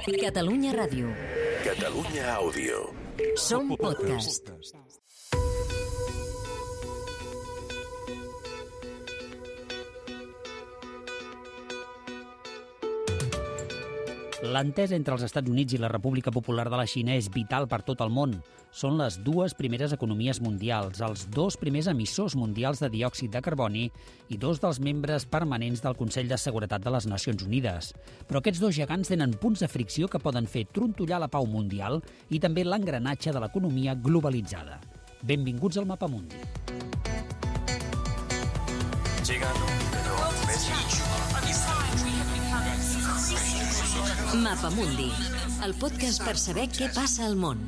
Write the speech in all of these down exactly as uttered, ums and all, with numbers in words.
Catalunya Ràdio. Catalunya Àudio. Som podcast. L'entesa entre els Estats Units i la República Popular de la Xina és vital per tot el món. Són les dues primeres economies mundials, els dos primers emissors mundials de diòxid de carboni i dos dels membres permanents del Consell de Seguretat de les Nacions Unides. Però aquests dos gegants tenen punts de fricció que poden fer trontollar la pau mundial i també l'engranatge de l'economia globalitzada. Benvinguts al Mapamundi. Mapamundi, el podcast per saber què passa al món.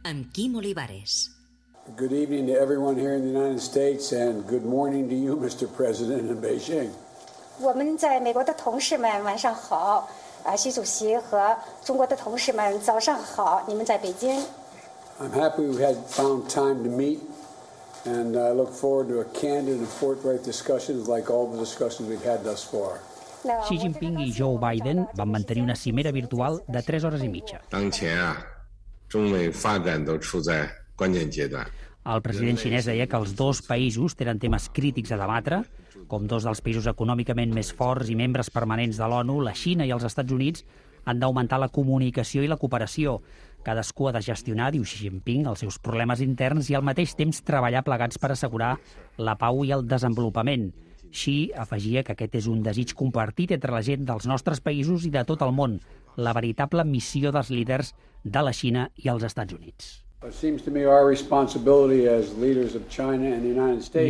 Amb Quim Olivares. Good evening to everyone here in the United States and good morning to you, Mister President, in Beijing. 我们在美国的同事们晚上好，啊，习主席和中国的同事们早上好，你们在北京。I'm happy we had found time to meet, and I look forward to a candid and forthright discussions like all the discussions we've had thus far. Xi Jinping i Joe Biden van mantenir una cimera virtual de tres hores i mitja. El president xinès deia que els dos països tenen temes crítics a debatre, com dos dels països econòmicament més forts i membres permanents de l'ONU, la Xina i els Estats Units, han d'augmentar la comunicació i la cooperació. Cadascú ha de gestionar, diu Xi Jinping, els seus problemes interns i al mateix temps treballar plegats per assegurar la pau i el desenvolupament. Xi afegia que aquest és un desig compartit entre la gent dels nostres països i de tot el món, la veritable missió dels líders de la Xina i els Estats Units. I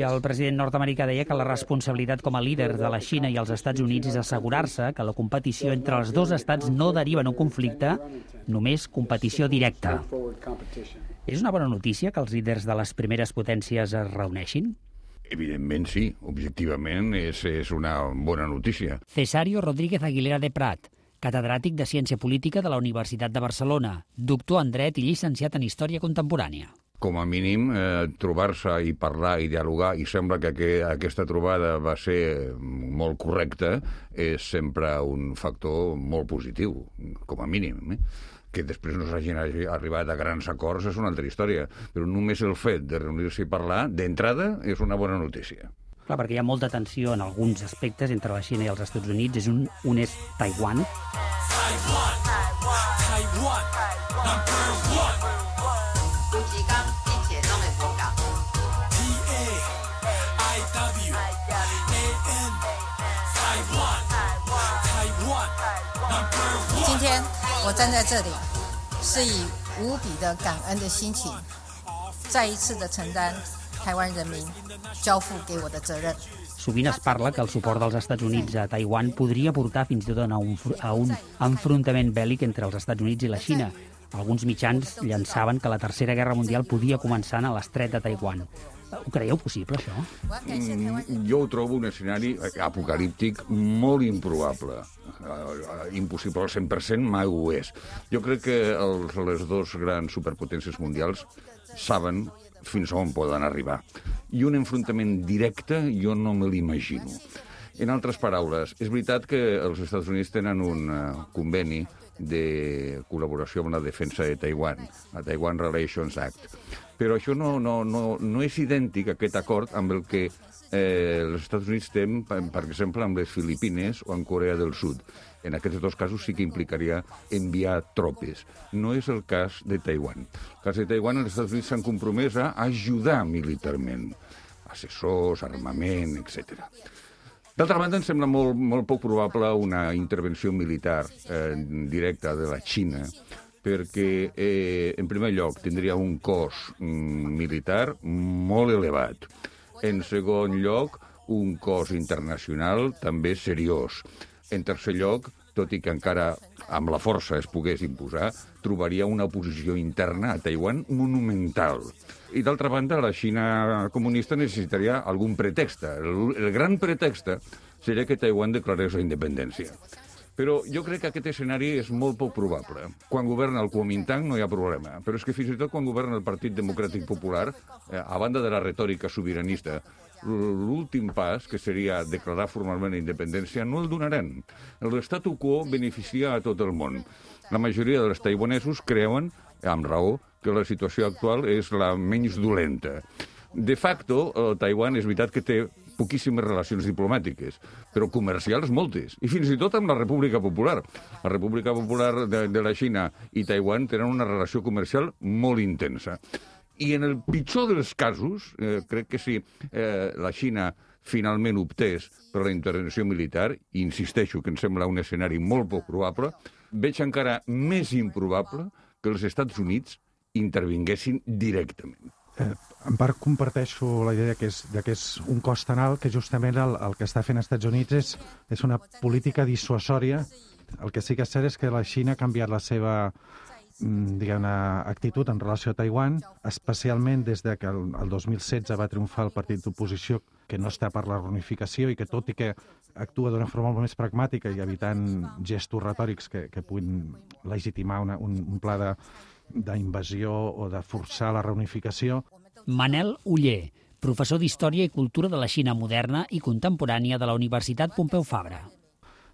el president nord-americà deia que la responsabilitat com a líder de la Xina i els Estats Units és assegurar-se que la competició entre els dos estats no deriva en un conflicte, només competició directa. És una bona notícia que els líders de les primeres potències es reuneixin? Evidentment sí, objectivament és, és una bona notícia. Cesario Rodríguez Aguilera de Prat, catedràtic de Ciència Política de la Universitat de Barcelona, doctor en Dret i llicenciat en Història Contemporània. Com a mínim, eh, trobar-se i parlar i dialogar, i sembla que, que aquesta trobada va ser molt correcta, és sempre un factor molt positiu, com a mínim. Eh? Que després no s'hagin arribat a grans acords és una altra història, però només el fet de reunir-se i parlar, d'entrada, és una bona notícia. Clar, perquè hi ha molta tensió en alguns aspectes entre la Xina i els Estats Units. És un, un és Taiwan. Taiwan, Taiwan, number one. Taiwan, Taiwan, number one. 今天我站在这里，是以无比的感恩的心情，再一次的承担台湾人民交付给我的责任。 Sovint es parla que el suport dels Estats Units a Taiwan podria portar fins i tot a un, a un enfrontament bèl·lic entre els Estats Units i la Xina. Alguns mitjans llançaven que la Tercera Guerra Mundial podia començar a l'estret de Taiwan. Ho creieu possible, això? Mm, jo ho trobo un escenari apocalíptic molt improbable. Uh, impossible al cent per cent mai ho és. Jo crec que els, les dues grans superpotències mundials saben fins on poden arribar. I un enfrontament directe jo no me l'imagino. En altres paraules, és veritat que els Estats Units tenen un uh, conveni de col·laboració amb la defensa de Taiwan, la Taiwan Relations Act. Però això no, no, no, no és idèntic, aquest acord, amb el que eh, els Estats Units tenen, per exemple, amb les Filipines o amb Corea del Sud. En aquests dos casos sí que implicaria enviar tropes. No és el cas de Taiwan. El cas de Taiwan, els Estats Units s'han compromès a ajudar militarment. Assessors, armament, etcètera. D'altra banda, em sembla molt, molt poc probable una intervenció militar eh, directa de la Xina, perquè, eh, en primer lloc, tindria un cost mm, militar molt elevat. En segon lloc, un cost internacional també seriós. En tercer lloc, tot i que encara amb la força es pogués imposar, trobaria una posició interna a Taiwan monumental. I d'altra banda, la Xina comunista necessitaria algun pretext. El, el gran pretext seria que Taiwan declarés la independència. Però jo crec que aquest escenari és molt poc probable. Quan governa el Kuomintang no hi ha problema, però és que fins i tot quan governa el Partit Democràtic Popular, eh, a banda de la retòrica sobiranista, l'últim pas, que seria declarar formalment la independència, no el donaran. L'statu quo beneficia a tot el món. La majoria dels taiwanesos creuen, amb raó, que la situació actual és la menys dolenta. De facto, el Taiwan és veritat que té poquíssimes relacions diplomàtiques, però comercials moltes, i fins i tot amb la República Popular. La República Popular de, de la Xina i Taiwan tenen una relació comercial molt intensa. I en el pitjor dels casos, eh, crec que si eh, la Xina finalment optés per la intervenció militar, i insisteixo que em sembla un escenari molt poc probable, veig encara més improbable que els Estats Units intervinguessin directament. Eh, en part comparteixo la idea que és, de que és un cost tan alt que justament el, el que està fent els Estats Units és, és una política dissuasòria. El que sí que és cert és que la Xina ha canviat la seva diguem-ne, actitud en relació a Taiwan, especialment des de que el, el dos mil setze va triomfar el partit d'oposició que no està per la reunificació i que tot i que actua d'una forma molt més pragmàtica i evitant gestos retòrics que, que puguin legitimar una, un, un pla de d'invasió o de forçar la reunificació. Manel Oller, professor d'Història i Cultura de la Xina moderna i contemporània de la Universitat Pompeu Fabra.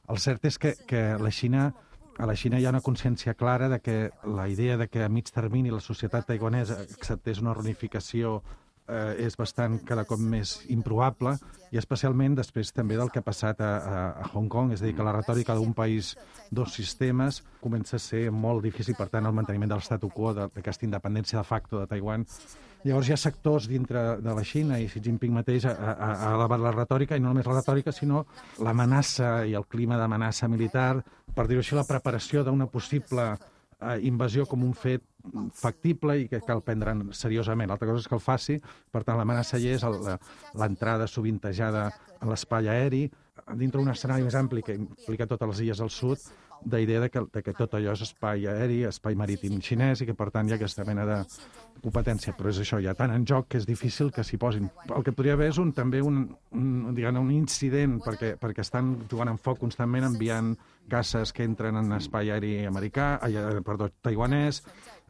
El cert és que, que la Xina, a la Xina hi ha una consciència clara de que la idea de que a mig termini la societat taiwanesa acceptés una reunificació eh, és bastant cada cop més improbable, i especialment després també del que ha passat a, a, a Hong Kong, és a dir, que la retòrica d'un país, dos sistemes, comença a ser molt difícil, per tant, el manteniment de l'statu quo, d'aquesta independència de facto de Taiwan. Llavors hi ha sectors dintre de la Xina, i Xi Jinping mateix ha, ha, ha elevat la retòrica, i no només la retòrica, sinó l'amenaça i el clima d'amenaça militar, per dir-ho així, la preparació d'una possible eh, invasió com un fet factible i que cal prendre seriosament. L'altra cosa és que el faci, per tant, l'amenaça hi és l'entrada sovintejada a l'espai aeri, dintre d'un escenari més ampli que implica totes les illes al sud, d'idea de que, de que tot allò és espai aeri, espai marítim xinès, i que, per tant, hi ha aquesta mena de competència. Però és això, hi ha tant en joc que és difícil que s'hi posin. El que podria haver és un, també un, un, diguem, un incident, perquè, perquè estan jugant en foc constantment, enviant caces que entren en espai aeri americà, eh, perdó, taiwanès,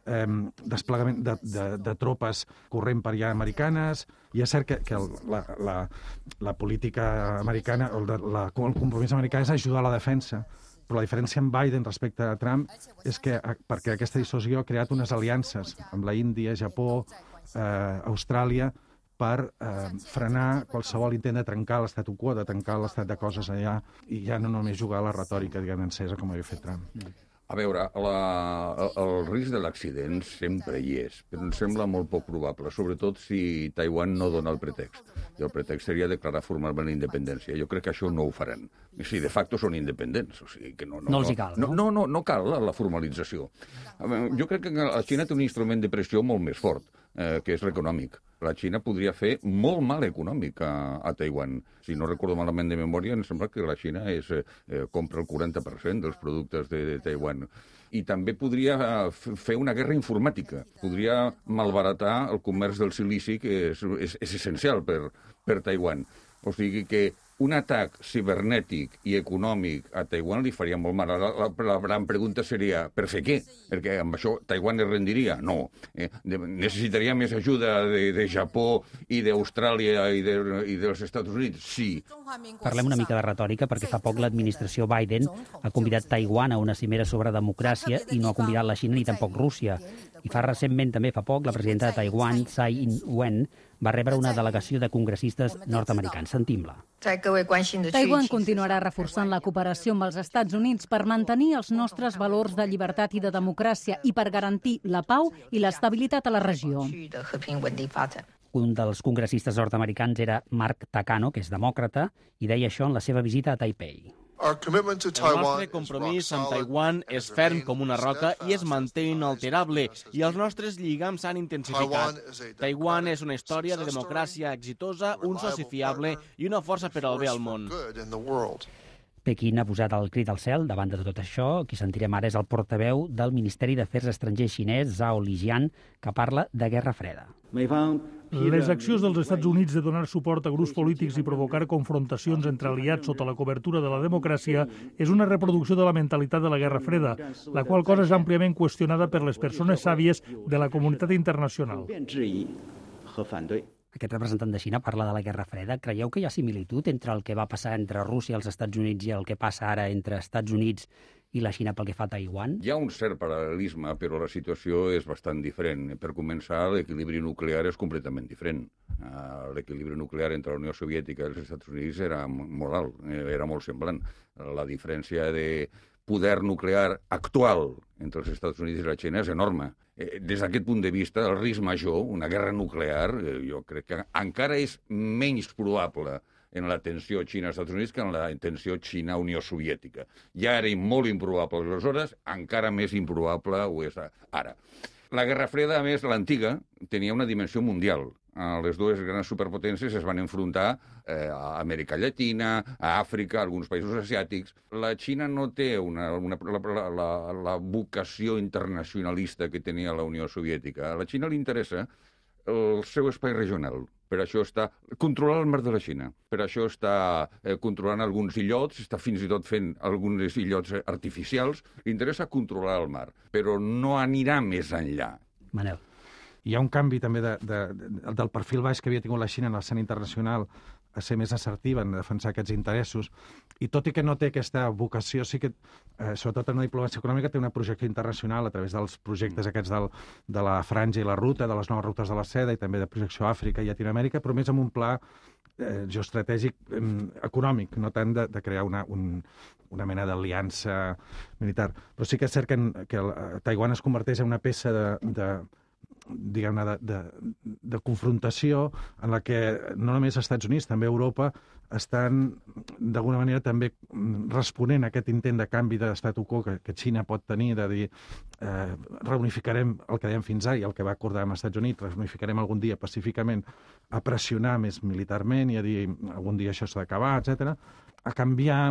eh, desplegament de, de, de tropes corrent per allà americanes, i és cert que, que el, la, la, la política americana, el, de, la, el compromís americà és ajudar a la defensa. Però la diferència amb Biden respecte a Trump és que perquè aquesta dissuasió ha creat unes aliances amb la Índia, Japó, eh, Austràlia, per eh, frenar qualsevol intent de trencar l'statu quo, de trencar l'estat de coses allà, i ja no només jugar a la retòrica, diguem, encesa, com havia fet Trump. A veure, la, el, el risc de l'accident sempre hi és, però em sembla molt poc probable, sobretot si Taiwan no dona el pretext. I el pretext seria declarar formalment la independència. Jo crec que això no ho faran. Si de facto són independents. O sigui que no, no, no els hi cal, no? No, no, no cal la, la formalització. Jo crec que la Xina té un instrument de pressió molt més fort, eh, que és l'econòmic. La Xina podria fer molt mal econòmic a, a Taiwan. Si no recordo malament de memòria, em sembla que la Xina és, eh, compra el quaranta per cent dels productes de, de Taiwan. I també podria fer una guerra informàtica. Podria malbaratar el comerç del silici, que és, és, és essencial per, per Taiwan. O sigui que un atac cibernètic i econòmic a Taiwan li faria molt mal. La, la, la gran pregunta seria, per fer què? Perquè amb això Taiwan es rendiria? No. Eh, de, necessitaria més ajuda de, de Japó i d'Austràlia i, de, i dels Estats Units? Sí. Parlem una mica de retòrica, perquè fa poc l'administració Biden ha convidat Taiwan a una cimera sobre democràcia i no ha convidat la Xina ni tampoc Rússia. I fa recentment, també fa poc, la presidenta de Taiwan, Tsai Ing-wen, va rebre una delegació de congressistes nord-americans. Sentim-la. Taiwan continuarà reforçant la cooperació amb els Estats Units per mantenir els nostres valors de llibertat i de democràcia i per garantir la pau i l'estabilitat a la regió. Un dels congressistes nord-americans era Mark Takano, que és demòcrata, i deia això en la seva visita a Taipei. El nostre compromís amb Taiwan és ferm com una roca i es manté inalterable, i els nostres lligams s'han intensificat. Taiwan és una història de democràcia exitosa, un soci fiable i una força per al bé al món. Pequín ha posat el crit al cel davant de tot això. Qui sentirem ara és el portaveu del Ministeri d'Afers Estrangers xinès, Zhao Lijian, que parla de guerra freda. Les accions dels Estats Units de donar suport a grups polítics i provocar confrontacions entre aliats sota la cobertura de la democràcia és una reproducció de la mentalitat de la Guerra Freda, la qual cosa és àmpliament qüestionada per les persones sàvies de la comunitat internacional. Aquest representant de Xina parla de la Guerra Freda. Creieu que hi ha similitud entre el que va passar entre Rússia i els Estats Units i el que passa ara entre Estats Units i la Xina pel que fa a Taiwan? Hi ha un cert paral·lelisme, però la situació és bastant diferent. Per començar, l'equilibri nuclear és completament diferent. Uh, l'equilibri nuclear entre la Unió Soviètica i els Estats Units era molt alt, era molt semblant. La diferència de poder nuclear actual entre els Estats Units i la Xina és enorme. Des d'aquest punt de vista, el risc major, una guerra nuclear, jo crec que encara és menys probable en la tensió Xina-Estats Units que en la tensió Xina-Unió Soviètica. Ja era molt improbable aleshores, encara més improbable ho és ara. La Guerra Freda, a més, l'antiga, tenia una dimensió mundial. Les dues grans superpotències es van enfrontar eh, a Amèrica Llatina, a Àfrica, a alguns països asiàtics. La Xina no té una, una, la, la, la vocació internacionalista que tenia la Unió Soviètica. A la Xina li interessa el seu espai regional. Per això està controlant el mar de la Xina. Per això està eh, controlant alguns illots, està fins i tot fent alguns illots artificials. Li interessa controlar el mar, però no anirà més enllà. Manel. Hi ha un canvi també de, de, de, del perfil baix que havia tingut la Xina en l'escena internacional a ser més assertiva en defensar aquests interessos, i tot i que no té aquesta vocació, sí que, eh, sobretot en la diplomàcia econòmica, té una projecció internacional a través dels projectes aquests del, de la franja i la ruta, de les noves rutes de la seda, i també de projecció a Àfrica i Llatinoamèrica, però més amb un pla eh, geoestratègic eh, econòmic, no tant de, de crear una, un, una mena d'aliança militar. Però sí que és cert que, en, que el, Taiwan es converteix en una peça de, de diguem-ne, de, de, de confrontació en la que no només els Estats Units, també Europa, estan d'alguna manera també responent a aquest intent de canvi d'estatu quo que, que Xina pot tenir, de dir eh, reunificarem el que dèiem fins ara i el que va acordar amb els Estats Units, reunificarem algun dia pacíficament, a pressionar més militarment i a dir algun dia això s'ha d'acabar, etcètera, a canviar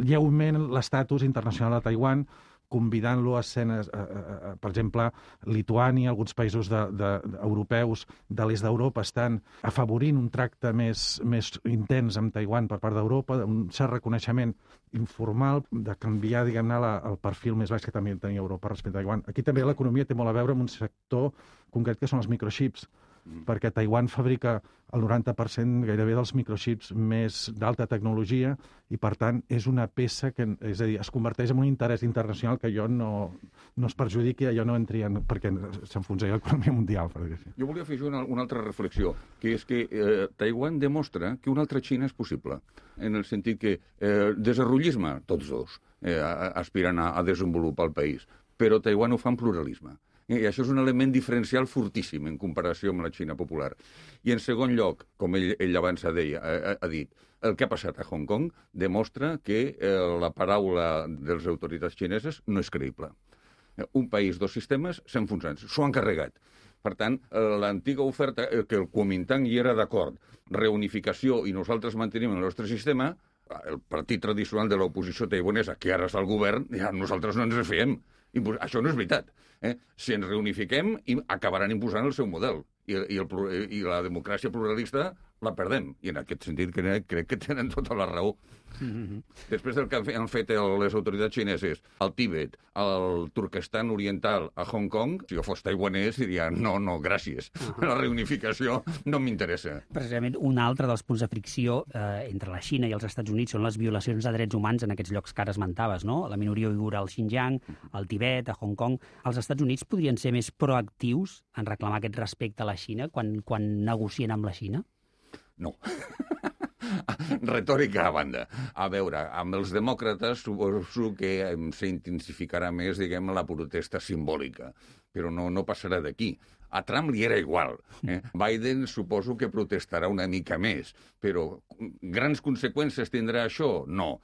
lleument l'estatus internacional de Taiwan, convidant-lo a escenes, a, a, a, per exemple, Lituània, alguns països de, de, de, europeus de l'est d'Europa estan afavorint un tracte més, més intens amb Taiwan per part d'Europa, un cert reconeixement informal de canviar, diguem-ne, el perfil més baix que també tenia Europa respecte a Taiwan. Aquí també l'economia té molt a veure amb un sector concret que són els microxips, perquè Taiwan fabrica el noranta per cent gairebé dels microxips més d'alta tecnologia i, per tant, és una peça que, és a dir, es converteix en un interès internacional que jo no, no es perjudiqui, jo no entri en, perquè s'enfonsaria l'economia mundial. Per dir-ho. Jo volia fer una, una altra reflexió, que és que eh, Taiwan demostra que una altra Xina és possible, en el sentit que eh, desarrollisme, tots dos, eh, aspiren a, a desenvolupar el país, però Taiwan ho fa en pluralisme. I això és un element diferencial fortíssim en comparació amb la Xina popular. I en segon lloc, com ell, ell abans deia, ha, ha dit, el que ha passat a Hong Kong demostra que eh, la paraula de les autoritats xineses no és creïble. Un país, dos sistemes, s'enfonsen, s'ho han carregat. Per tant, l'antiga oferta, que el Kuomintang hi era d'acord, reunificació i nosaltres mantenim el nostre sistema, el partit tradicional de l'oposició taiwanesa, que ara és el govern, ja nosaltres no ens refiem. Això no és veritat. Eh? Si ens reunifiquem, acabaran imposant el seu model. I, i, el, i la democràcia pluralista la perdem. I en aquest sentit crec, crec que tenen tota la raó. Mm-hmm. Després del que han fet les autoritats xineses al Tíbet, al Turquestan Oriental, a Hong Kong, si jo fos taiwanès diria no, no, gràcies. Uh-huh. La reunificació no m'interessa. Precisament un altre dels punts de fricció eh, entre la Xina i els Estats Units són les violacions de drets humans en aquests llocs que ara esmentaves, no? La minoria uigura al Xinjiang, al Tibet, a Hong Kong. Els Estats Units podrien ser més proactius en reclamar aquest respecte a la Xina quan, quan negocien amb la Xina? No. Retòrica a banda. A veure, amb els demòcrates suposo que s'intensificarà més, diguem, la protesta simbòlica, però no, no passarà d'aquí. A Trump li era igual. Eh? Biden suposo que protestarà una mica més, però grans conseqüències tindrà això? No.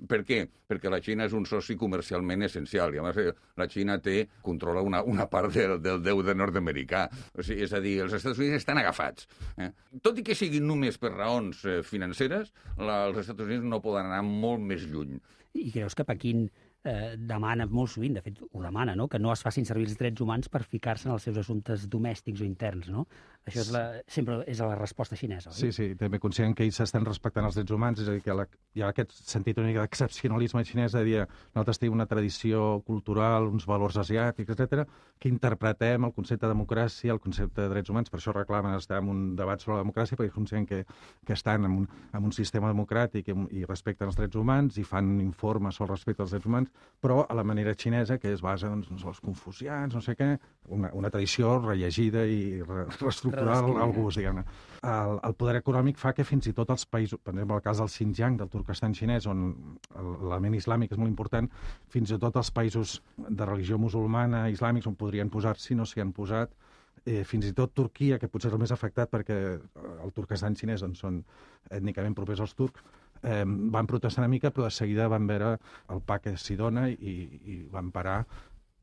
Per què? Perquè la Xina és un soci comercialment essencial i, a més, la Xina té, controla una, una part del, del deute nord-americà. O sigui, és a dir, els Estats Units estan agafats. Eh? Tot i que siguin només per raons eh, financeres, la, els Estats Units no poden anar molt més lluny. I creus que Pequín eh, demana molt sovint, de fet ho demana, no? Que no es facin servir els drets humans per ficar-se en els seus assumptes domèstics o interns, no? Això és la, sempre és la resposta xinesa, oi? Sí, sí, també conscient que ells estan respectant els drets humans, és a dir, que la, hi ha aquest sentit una mica d'excepcionalisme xinès de dir nosaltres tenim una tradició cultural, uns valors asiàtics, etcètera, que interpretem el concepte de democràcia, el concepte de drets humans, per això reclamen estar en un debat sobre la democràcia, perquè conscient que, que estan en un, en un sistema democràtic i, i respecten els drets humans i fan informes sobre el respecte als drets humans, però a la manera xinesa, que es basa doncs, en els confucians, no sé què, una, una tradició rellegida i re, reestructurada al gust, diguem-ne. El, el poder econòmic fa que fins i tot els països, per exemple, el cas del Xinjiang, del Turquestan xinès, on l'element islàmic és molt important, fins i tot els països de religió musulmana, islàmics, on podrien posar-s'hi, no s'hi han posat, eh, fins i tot Turquia, que potser és el més afectat perquè el Turquestan xinès doncs, són ètnicament propers als turcs, eh, van protestar una mica, però de seguida van veure el pa que s'hi dona i, i van parar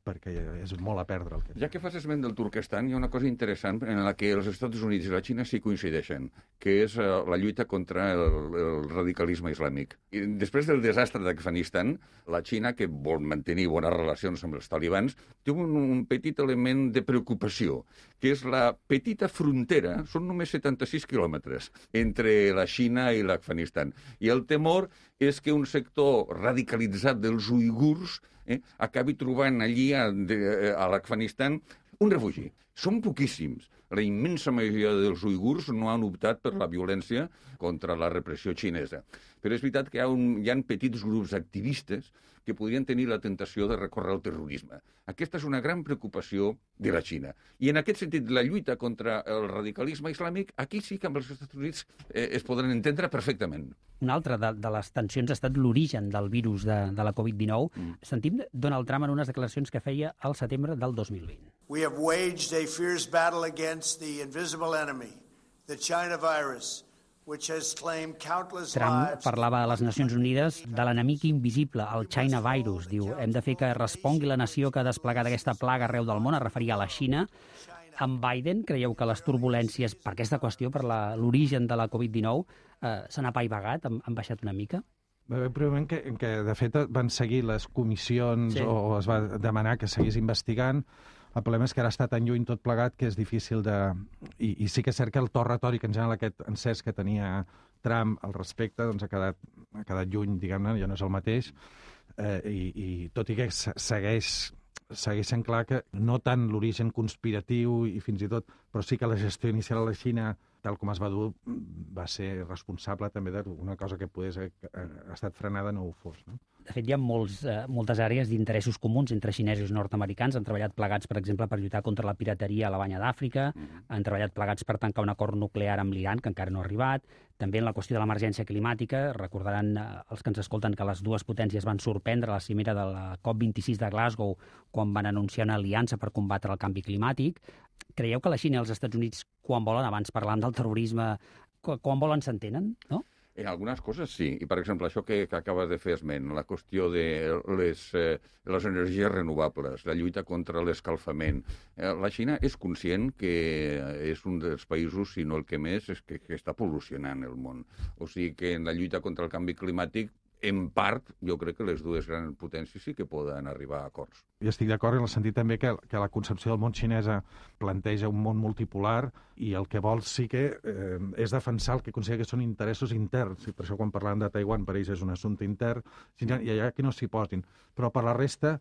perquè és molt a perdre. El que... Ja que fas esment del Turquestan, hi ha una cosa interessant en la que els Estats Units i la Xina sí coincideixen, que és uh, la lluita contra el, el radicalisme islàmic. I després del desastre d'Afganistan, la Xina, que vol mantenir bones relacions amb els talibans, té un, un petit element de preocupació, que és la petita frontera, són només setanta-sis quilòmetres, entre la Xina i l'Afganistan. I el temor és que un sector radicalitzat dels uigurs eh, acabi trobant allí a, de, a l'Afganistan un refugi. Són poquíssims. La immensa majoria dels uigurs no han optat per la violència contra la repressió xinesa. Però és veritat que hi ha, un, hi ha petits grups activistes que podrien tenir la tentació de recórrer al terrorisme. Aquesta és una gran preocupació de la Xina. I en aquest sentit, la lluita contra el radicalisme islàmic, aquí sí que amb els Estats Units eh, es podran entendre perfectament. Una altra de, de les tensions ha estat l'origen del virus de, de la covid dinou. Mm. Sentim Donald Trump en unes declaracions que feia al setembre del dos mil vint. We have waged a fierce battle against the invisible enemy, the China virus, which has claimed countless Trump parlava a les Nacions Unides de l'enemic invisible, el China virus. Diu, hem de fer que respongui la nació que ha desplegat aquesta plaga arreu del món, es referia a la Xina. Amb Biden, creieu que les turbulències per aquesta qüestió, per l'origen de la covid dinou, eh, s'han apaivagat, han, han baixat una mica? Va haver un moment que, que, de fet, van seguir les comissions sí. o es va demanar que seguís investigant. El problema és que ara està tan lluny tot plegat que és difícil de... I, i sí que és cert que el to retòric, en general, aquest encès que tenia Trump al respecte, doncs ha quedat, ha quedat lluny, diguem-ne, ja no és el mateix. Eh, i, I tot i que segueix, segueix sent clar que no tant l'origen conspiratiu i fins i tot, però sí que la gestió inicial a la Xina, tal com es va dur, va ser responsable també d'una cosa que pogués ha estat frenada no ho fos, no? De fet, hi ha molts, eh, moltes àrees d'interessos comuns entre xinesos i nord-americans. Han treballat plegats, per exemple, per lluitar contra la pirateria a la banya d'Àfrica. Mm-hmm. Han treballat plegats per tancar un acord nuclear amb l'Iran, que encara no ha arribat. També en la qüestió de l'emergència climàtica. Recordaran eh, els que ens escolten que les dues potències van sorprendre a la cimera de la COP vint-i-sis de Glasgow quan van anunciar una aliança per combatre el canvi climàtic. Creieu que la Xina i els Estats Units, quan volen, abans parlant del terrorisme, quan volen s'entenen, no? En algunes coses sí, i per exemple això que, que acabes de fer esment, la qüestió de les, eh, les energies renovables, la lluita contra l'escalfament. Eh, la Xina és conscient que és un dels països, si no el que més, és que, que està pol·lucionant el món. O sigui que en la lluita contra el canvi climàtic, en part, jo crec que les dues grans potències sí que poden arribar a acords. I estic d'acord en el sentit també que, que la concepció del món xinesa planteja un món multipolar i el que vol sí que eh, és defensar el que considera que són interessos interns. I per això quan parlàvem de Taiwan, per ells és un assumpte intern, i allà que no s'hi posin. Però per la resta,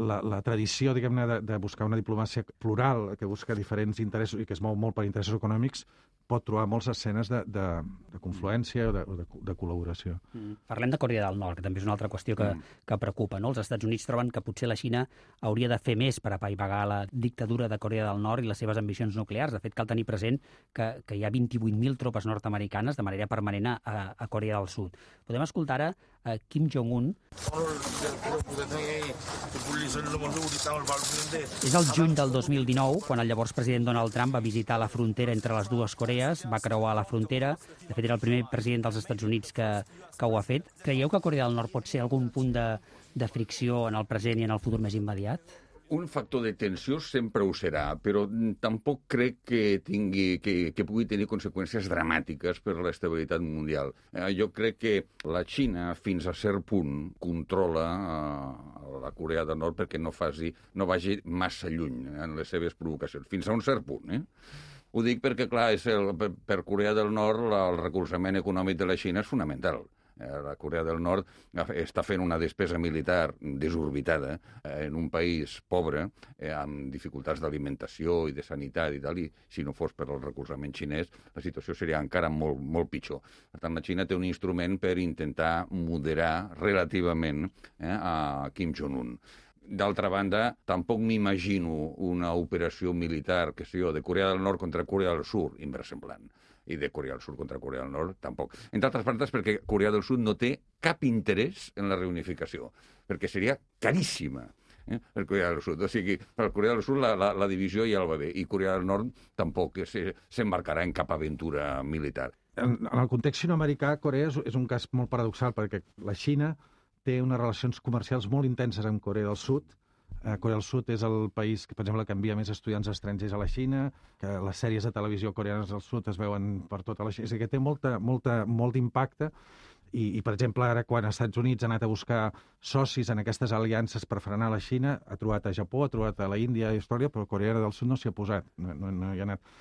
la, la tradició, diguem-ne, de, de buscar una diplomàcia plural, que busca diferents interessos i que es mou molt per interessos econòmics, pot trobar moltes escenes de, de, de confluència o de, de, de col·laboració. Mm. Parlem de Corea del Nord, que també és una altra qüestió que, mm. que preocupa, no? Els Estats Units troben que potser la Xina hauria de fer més per apaivagar la dictadura de Corea del Nord i les seves ambicions nuclears. De fet, cal tenir present que, que hi ha vint-i-vuit mil tropes nord-americanes de manera permanent a, a Corea del Sud. Podem escoltar ara a Kim Jong-un. És el juny del dos mil dinou, quan el llavors president Donald Trump va visitar la frontera entre les dues Corees, va creuar la frontera. De fet, era el primer president dels Estats Units que, que ho ha fet. Creieu que Corea del Nord pot ser algun punt de, de fricció en el present i en el futur més immediat? Un factor de tensió sempre ho serà, però tampoc crec que, tingui, que, que pugui tenir conseqüències dramàtiques per a l'estabilitat mundial. Eh, jo crec que la Xina, fins a cert punt, controla eh, la Corea del Nord perquè no, faci, no vagi massa lluny en les seves provocacions, fins a un cert punt. Eh? Ho dic perquè, clar, és el, per Corea del Nord el recolzament econòmic de la Xina és fonamental. La Corea del Nord està fent una despesa militar desorbitada en un país pobre, amb dificultats d'alimentació i de sanitat i tal, i si no fos per el recolzament xinès, la situació seria encara molt, molt pitjor. Per tant, la Xina té un instrument per intentar moderar relativament eh, a Kim Jong-un. D'altra banda, tampoc m'imagino una operació militar, que sé jo, de Corea del Nord contra Corea del Sud, inversemblant. I de Corea del Sud contra Corea del Nord, tampoc. Entre altres parts, perquè Corea del Sud no té cap interès en la reunificació, perquè seria caríssima eh, per Corea del Sud. O sigui, per Corea del Sud la, la, la divisió ja el va bé, i Corea del Nord tampoc s'embarcarà en cap aventura militar. En, en el context sino-americà, Corea és, és un cas molt paradoxal, perquè la Xina té unes relacions comercials molt intenses amb Corea del Sud. Eh, Corea del Sud és el país que, per exemple, que envia més estudiants estrangers a la Xina, que les sèries de televisió coreanes del Sud es veuen per tota la Xina. És a dir, que té molta, molta, molt d'impacte i, i, per exemple, ara quan els Estats Units ha anat a buscar socis en aquestes aliances per frenar la Xina, ha trobat a Japó, ha trobat a la Índia i història, però Corea del Sud no s'hi ha posat, no, no, no hi ha anat.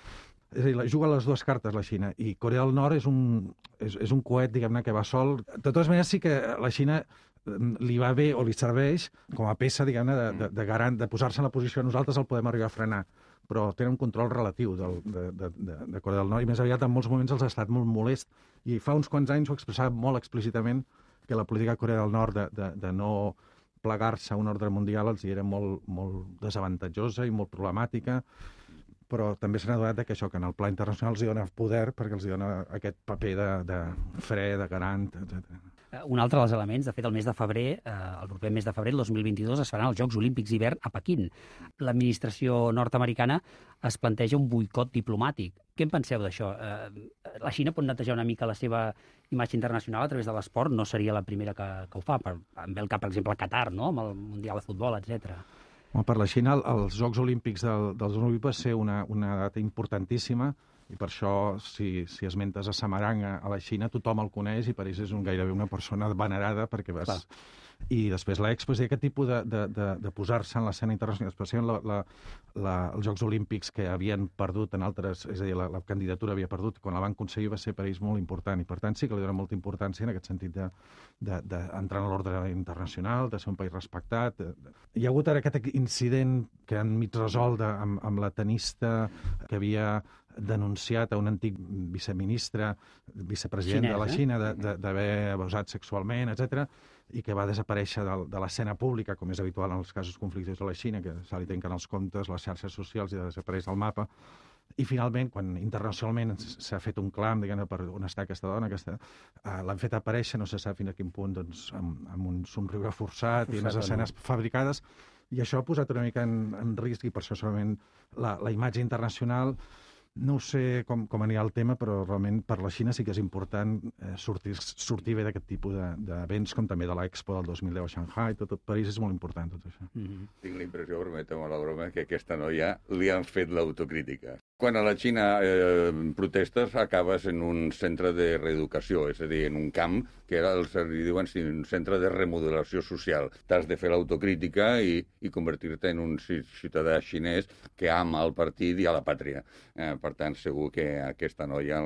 És a dir, juga les dues cartes, la Xina, i Corea del Nord és un, és, és un coet, diguem-ne, que va sol. De totes maneres, sí que la Xina li va bé o li serveix com a peça, diguem-ne, de, de, de garant, de posar-se en la posició nosaltres el podem arribar a frenar, però tenen un control relatiu del, de, de, de, de Corea del Nord, i més aviat en molts moments els ha estat molt molest, i fa uns quants anys ho expressava molt explícitament que la política de Corea del Nord de, de, de no plegar-se a un ordre mundial els era molt, molt desavantatjosa i molt problemàtica, però també s'han adonat que això, que en el pla internacional els dona poder perquè els dona aquest paper de, de fre, de garant, etcètera. Un altre dels elements, de fet, el mes de febrer, eh, el proper mes de febrer, el dos mil vint-i-dos, es faran els Jocs Olímpics d'hivern a Pequín. L'administració nord-americana es planteja un boicot diplomàtic. Què en penseu d'això? Eh, la Xina pot netejar una mica la seva imatge internacional a través de l'esport? No seria la primera que, que ho fa. Per, em ve el cap, per exemple, a Qatar, no?, amb el Mundial de Futbol, etcètera. Per la Xina, els Jocs Olímpics del, dels Olímpics va ser una, una data importantíssima, i per això, si, si esmentes a Samarang a la Xina, tothom el coneix i per ells és un, gairebé una persona venerada perquè vas... Clar. I després l'Expo, és dir, aquest tipus de, de, de, de posar-se en l'escena internacional, especialment la, la, la, els Jocs Olímpics que havien perdut en altres... És a dir, la, la candidatura havia perdut, quan la van aconseguir va ser per ells molt important, i per tant sí que li dona molta importància en aquest sentit d'entrar de, de, de en l'ordre internacional, de ser un país respectat. Hi ha hagut ara aquest incident que han mig resolt de, amb, amb la tenista que havia denunciat a un antic viceministre, vicepresident Xinès, de la Xina, d'haver abusat sexualment, etcètera, i que va desaparèixer de, de l'escena pública, com és habitual en els casos conflictius de la Xina, que se li tanquen els comptes, les xarxes socials i desapareix del mapa. I finalment, quan internacionalment s'ha fet un clam, diguem-ne, per on està aquesta dona, aquesta, uh, l'han fet aparèixer, no se sap fins a quin punt, doncs, amb, amb un somriure forçat, forçat i unes escenes no. fabricades, i això ha posat una mica en, en risc, i per això solament la, la imatge internacional. No sé com, com anirà el tema, però realment per la Xina sí que és important eh, sortir, sortir bé d'aquest tipus d'events, com també de l'Expo del dos mil deu a Shanghai. Tot, tot París és molt important, tot això. Mm-hmm. Tinc la impressió, permeteu-me la broma, que aquesta noia li han fet l'autocrítica. Quan a la Xina eh, protestes acabes en un centre de reeducació, és a dir, en un camp que era el, li diuen un centre de remodelació social. T'has de fer l'autocrítica i, i convertir-te en un ciutadà xinès que ama el partit i a la pàtria. Eh, per tant, segur que aquesta noia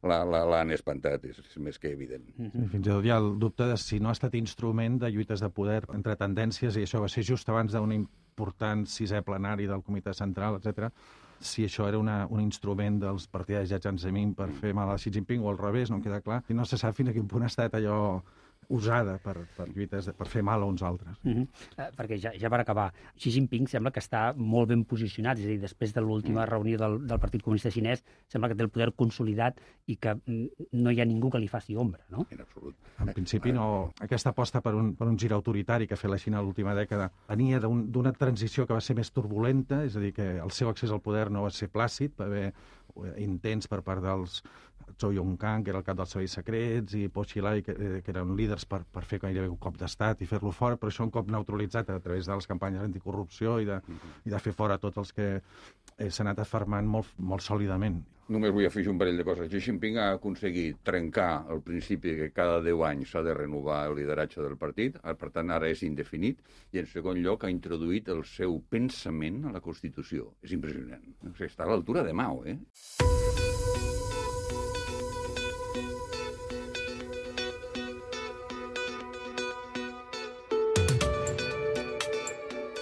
l'han espantat, és, és més que evident. Mm-hmm. Fins i tot hi ha el dubte de si no ha estat instrument de lluites de poder entre tendències, i això va ser just abans d'un important sisè plenari del Comitè Central, etcètera, si això era una, un instrument dels partidaris de Jiang Zemin per fer mal a Xi Jinping o al revés, no em queda clar. I no se sap fins a quin punt ha estat allò usada per, per lluites, de, per fer mal a uns altres. Mm-hmm. eh, perquè ja, ja per acabar, Xi Jinping sembla que està molt ben posicionat, és a dir, després de l'última mm. reunió del, del Partit Comunista Xinès, sembla que té el poder consolidat i que mm, no hi ha ningú que li faci ombra, no? En absolut. En principi, no. Aquesta aposta per un, per un gir autoritari que ha fet la Xina l'última dècada venia d'una un, transició que va ser més turbulenta, és a dir, que el seu accés al poder no va ser plàcid, va haver intents per part dels Zhou Yongkang, que era el cap dels serveis secrets, i Po Xilai, que, que eren líders per, per fer gairebé un cop d'estat i fer-lo fora, però això un cop neutralitzat a través de les campanyes anticorrupció i de, i de fer fora tots els que eh, s'han anat afermant molt, molt sòlidament. Només vull afegir un parell de coses. Xi Jinping ha aconseguit trencar el principi que cada deu anys s'ha de renovar el lideratge del partit, per tant ara és indefinit, i en segon lloc ha introduït el seu pensament a la Constitució. És impressionant. O sigui, està a l'altura de Mao, eh?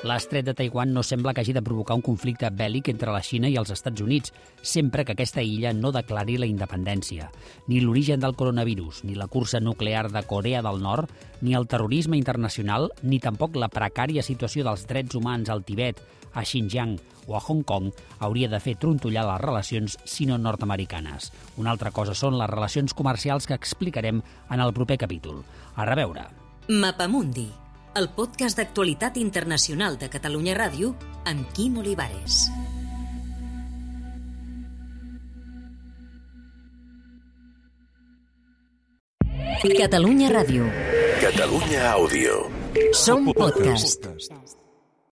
L'estret de Taiwan no sembla que hagi de provocar un conflicte bèl·lic entre la Xina i els Estats Units, sempre que aquesta illa no declari la independència. Ni l'origen del coronavirus, ni la cursa nuclear de Corea del Nord, ni el terrorisme internacional, ni tampoc la precària situació dels drets humans al Tibet, a Xinjiang o a Hong Kong hauria de fer trontollar les relacions sino-nord-americanes. Una altra cosa són les relacions comercials que explicarem en el proper capítol. A reveure. Mapamundi, el podcast d'actualitat internacional de Catalunya Ràdio amb Quim Olivares. Catalunya Ràdio. Catalunya Àudio. Som podcast.